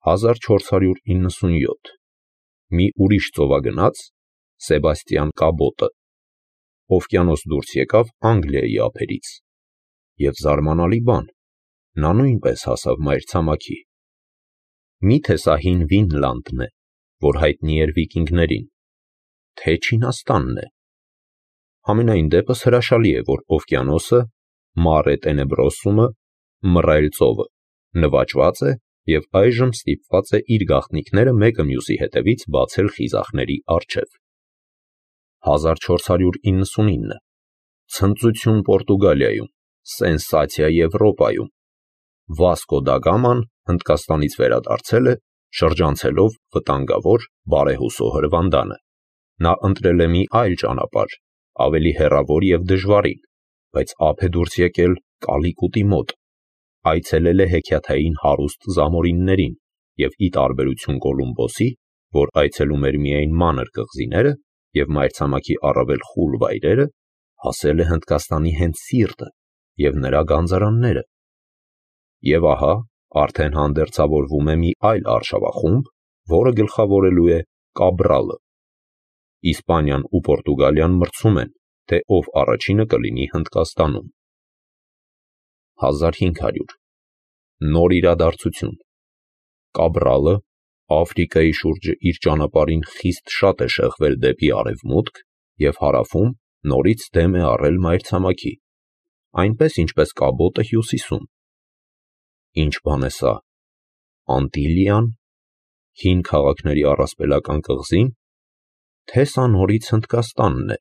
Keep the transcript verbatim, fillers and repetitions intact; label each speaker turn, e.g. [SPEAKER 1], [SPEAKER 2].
[SPEAKER 1] հազար չորս հարյուր իննսունյոթ մի ուրիշ ծովագնաց Սեբաստիան Կաբոտը օվկիանոս դուրս եկավ Անգլիայի ափերից և զարմանալի բան, նա նույնպես հասավ մայրցամաքի։ Մի՞թե սա հին Վինլանդն է, որ հայտնի էր վիկինգներին, թե Չինաստանն է։ Համենայն դեպս հրաշալի է, որ օվկիանոսը, Mare Tenebrosum-ը, մռայլ ծովը, նվաճված է և այժմ ստիպված է իր գաղտնիքները մեկը մյուսի հետևից բացել խիզախների առջև։ հազար չորս հարյուր իննսունինը ցնծություն Պորտուգալիայում, սենսացիա Եվրոպայում։ Վասկո դա Գաման Հնդկաստանից վերադարձել է, շրջանցելով վտանգավոր բարեհուսո հրվանդանը։ Նա ընտրել է մի այլ ճանապարհ, ավելի հեռավոր և դժվարին, բայց ափ է դուրս եկել Կալիկուտի մոտ, այցելել է հեքիաթային հարուստ զամորիններին և ի տարբերություն Կոլումբոսի, որ այցելում էր միայն մանր կղզիները և մայրցամաքի առավել խուլ վայրերը, հասել է Հնդկաստանի հենց սիրտը և նրա գանձարանները։ Եվ ահա արդեն հանդերձավորվում է մի այլ արշավախումբ, որը գլխավորելու է Կաբրալը։ Իսպանիան ու Պորտուգալիան մրցում են, թե ով առաջինը կլինի Հնդկաստանում։ հազար հինգ հարյուր նոր իրադարձություն։ Կաբրալը Աֆրիկայի շուրջը իր ճանապարհին խիստ շատ է շեղվել դեպի արևմուտք և հարավում նորից դեմ է առել մայրցամաքի, այնպես ինչպես Կաբոտը հյուսիսում։ Ինչ բան է սա, Անտիլիան, հին քաղաքների առասպելական կղզի՞ն, թե սա նորից Հնդկաստանն է։